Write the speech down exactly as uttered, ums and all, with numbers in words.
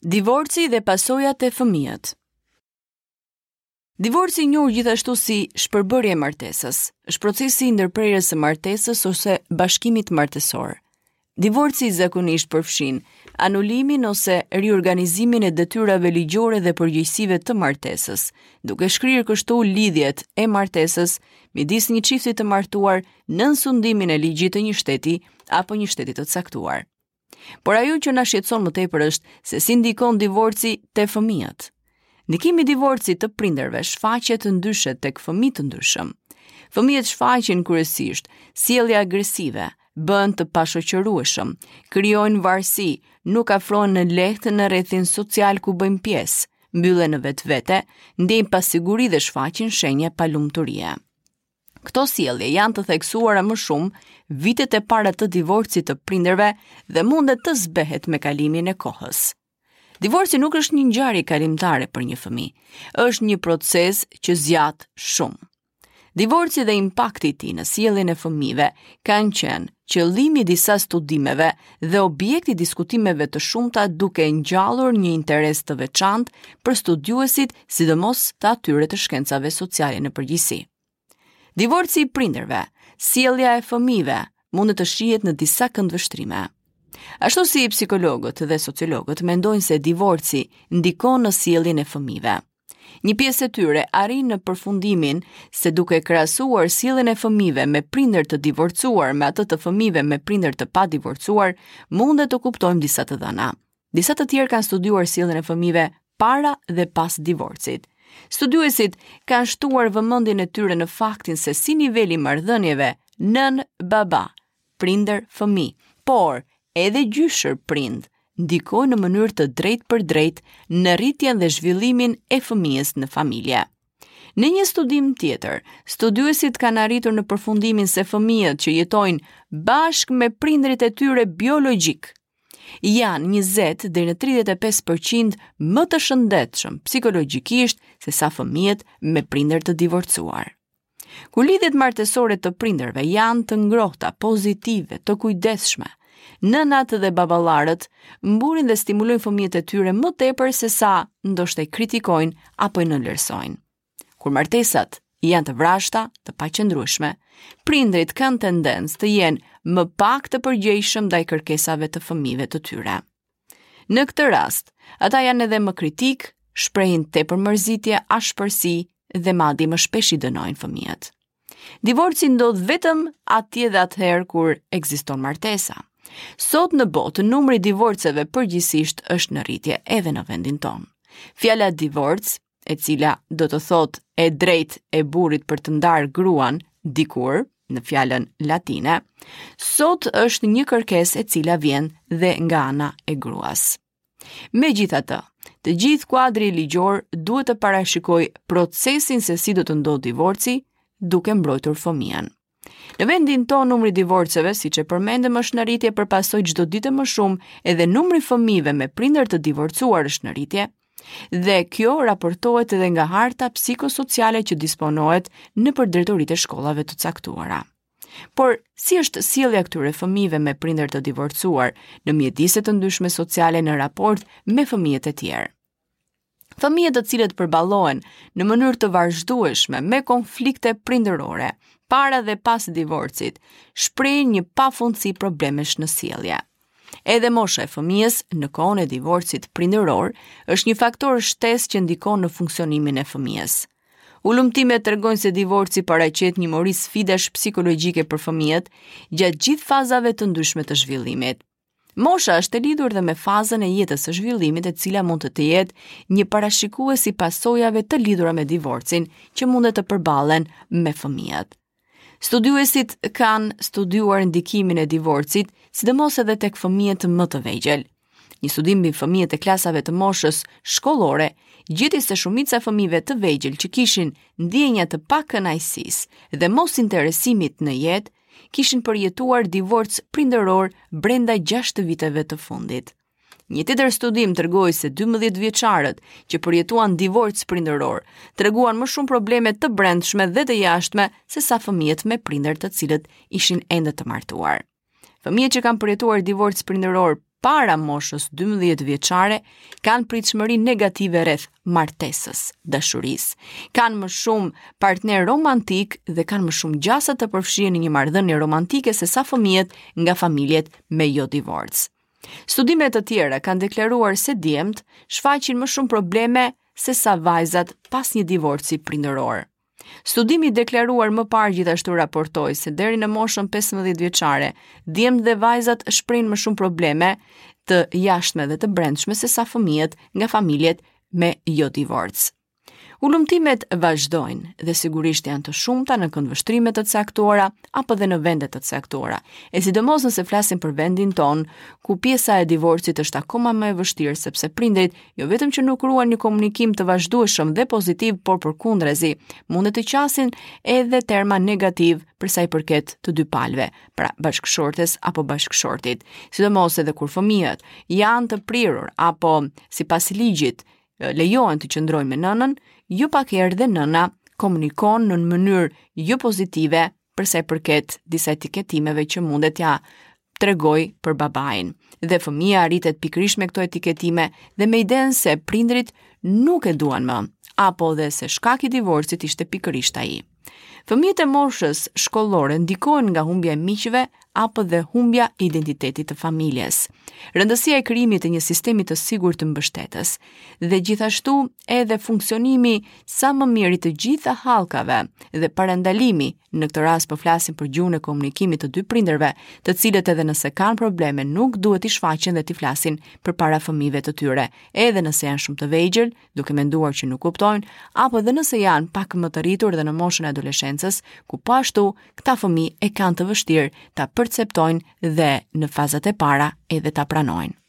Divorci dhe pasojat e fëmijët. Divorci i njohur gjithashtu si shpërbërje e martesës, është procesi i ndërprerjes së martesës ose bashkimit martesor. Divorci zakonisht përfshin anulimin ose riorganizimin e detyrave ligjore dhe përgjegjësive të martesës, duke shkrirë kështu lidhjet e martesës midis një çifti të martuar nën sundimin e ligjit të një shteti apo një shteti të caktuar. Por ajo që na shqetëson më tepër është se si ndikon divorci te fëmijët. Ndikimi i divorcit të prindërve shfaqet ndryshe tek fëmijë të ndryshëm. Fëmijët shfaqin kryesisht sjellje agresive, bëhen të pashoqërueshëm, krijojnë varësi, nuk afrohen në lehtë në rrethin social ku bëjnë pjesë, mbyllen në vetvete, ndjejnë pasiguri dhe shfaqin shenja palumturie. Këto sjellje janë të theksuara më shumë vitet e para të divorcit të prindërve dhe mundet të zbehet me kalimin e kohës. Divorci nuk është një ngjarje kalimtare për një fëmijë, është një proces që zgjat shumë. Divorci dhe impakti i tij në sjelljen e fëmijëve kanë qenë qëllimi i disa studimeve dhe objekti i diskutimeve të shumta, duke ngjallur një interes të veçantë për studiuesit, sidomos të atyre të shkencave sociale në përgjithësi. Divorci i prindërve, sjellja e fëmijëve mund të shihet në disa këndvështrime. Ashtu si psikologët dhe sociologët mendojnë se divorci ndikon në sjelljen e fëmijëve. Një pjesë e tyre arrin në përfundimin se duke krahasuar sjelljen e fëmijëve me prindër të divorcuar me atë të fëmijëve me prindër të padivorcuar, mundet të kuptojmë disa të dhëna. Disa të tjerë kanë studiuar sjelljen e fëmijëve para dhe pas divorcit. Studiuesit kanë shtuar vëmendjen e tyre në faktin se si niveli i marrëdhënieve nën baba, prindër fëmijë, por edhe gjyshër prind, ndikojnë në mënyrë të drejtë për drejtë në rritjen dhe zhvillimin e fëmijës në familje. Në një studim tjetër, studiuesit kanë arritur në përfundimin se fëmijët që jetojnë bashkë me prindërit e tyre biologjik janë njëzet deri në tridhjetë e pesë përqind më të shëndetshëm psikologjikisht se sa fëmijët me prindër të divorcuar. Kur lidhjet martesore të prindërve janë të ngrohta, pozitive, të kujdesshme, nënat dhe baballarët mburin dhe stimulojnë fëmijët e tyre më tepër se sa ndoshta i kritikojnë apo i nënvlerësojnë. Kur martesat janë të vrashta, të paqëndrueshme, prindrit kanë tendencë të jenë më pak të përgjegjshëm ndaj kërkesave të fëmijëve të tyre. Në këtë rast, ata janë edhe më kritik, shprehin tepër mërzitje, ashpërsi dhe madje më shpesh i dënojnë fëmijët. Divorci ndodh vetëm atje dhe atëherë kur ekziston martesa. Sot në botë numri i divorceve përgjithsisht është në rritje edhe në vendin tonë. Fjala divorc, e cila do të thotë e drejtë e burrit për të ndarë gruan dikur, në fjalën latine, sot është një kërkesë e cila vjen dhe nga ana e gruas. Megjithatë, të gjithë kuadri ligjor duhet të parashikojë procesin se si do të ndodhë divorci, duke mbrojtur fëmijën. Në vendin tonë numri i divorceve, siç e përmendëm, është në rritje për pasojë çdo ditë më shumë, edhe numri i fëmijëve me prindër të divorcuar është në rritje, dhe kjo raportohet edhe nga harta psikosociale që disponohet nëpër drejtoritë e shkollave të caktuara. Por, si është sjellja këtyre fëmijëve me prindër të divorcuar në mjedise të ndryshme sociale në raport me fëmijët e tjerë? Fëmijët të cilët përballohen në mënyrë të vazhdueshme me konflikte prindërore, para dhe pas divorcit, shprehin një pafundësi problemesh në sjellje. Edhe mosha e fëmijës në kohën e divorcit prindëror është një faktor shtesë që ndikon në funksionimin e fëmijës. Hulumtimet tregojnë se divorci paraqet një mori sfidash psikologjike për fëmijët gjatë gjithë fazave të ndryshme të zhvillimit. Mosha është e lidhur dhe me fazën e jetës së zhvillimit, e cila mund të jetë një parashikues i pasojave të lidhura me divorcin që mundet të përballen me fëmijët. Studiuesit kanë studiuar ndikimin e divorcit, sidomos edhe tek fëmijët më të vegjël. Një studim mbi fëmijët e klasave të moshës shkollore gjeti se shumica e fëmijëve të vegjël që kishin ndjenja të pakënaqësisë dhe mosinteresimit në jetë, kishin përjetuar divorc prindëror brenda gjashtë viteve të fundit. Një tjetër studim tregoi se dymbëdhjetë vjeçarët që përjetuan divorc prindëror treguan më shumë probleme të brendshme dhe të jashtme se sa fëmijët me prindër të cilët ishin ende të martuar. Fëmijët që kanë përjetuar divorc prindëror para moshës dymbëdhjetë vjeçare kanë pritshmëri negative rreth martesës, dashurisë, kanë më shumë partner romantik dhe kanë më shumë gjasa të përfshihen në një marrëdhënie romantike se sa fëmijët nga familjet me jo divorc. Studime të tjera kanë deklaruar se djemtë shfaqin më shumë probleme se sa vajzat pas një divorci prindëror. Studimi i deklaruar më parë gjithashtu raportoi se deri në moshën pesëmbëdhjetë vjeçare, djemtë dhe vajzat shprehin më shumë probleme të jashtme dhe të brendshme se sa fëmijët nga familjet me jo divorc. Hulumtimet vazhdojnë dhe sigurisht janë të shumta në këndvështrime të caktuara apo dhe në vende të caktuara. E sidomos nëse flasim për vendin ton, ku pjesa e divorcit është akoma më e vështirë sepse prindrit jo vetëm që nuk ruajnë një komunikim të vazhdueshëm dhe pozitiv, por përkundrazi, mundet të qasin edhe terma negativ për sa i përket të dy palëve, pra bashkëshortes apo bashkëshortit. Sidomos edhe kur fëmijët janë të prirur apo sipas ligjit lejohen të qëndrojnë me nënën, jo pak herë dhe nëna komunikon në mënyrë jo pozitive për sa i përket disa etiketimeve që mundet t'ja tregoj për babain. Dhe fëmia rritet pikërisht me këto etiketime dhe me idenë se prindrit nuk e duan më, apo dhe se shkak i divorcit ishte pikërisht ai. Fëmijët e moshës shkollore ndikohen nga humbja e miqve apo dhe humbja e identitetit të familjes. Rëndësia e krijimit të një sistemi të sigurt të mbështetës dhe gjithashtu edhe funksionimi sa më mirë i të gjitha hallkave dhe parandalimi, në këtë rast po flasim për gjuhën e komunikimit të dy prindërve, të cilët edhe nëse kanë probleme nuk duhet t'i shfaqen dhe t'i flasin përpara fëmijëve të tyre, edhe nëse janë shumë të vegjël, duke menduar që nuk kuptojnë, apo edhe nëse janë pak më të rritur dhe në moshën e adoleshencës, ku po ashtu këta fëmijë e kanë të vështirë ta perceptojnë dhe në fazat e para edhe ta pranojnë.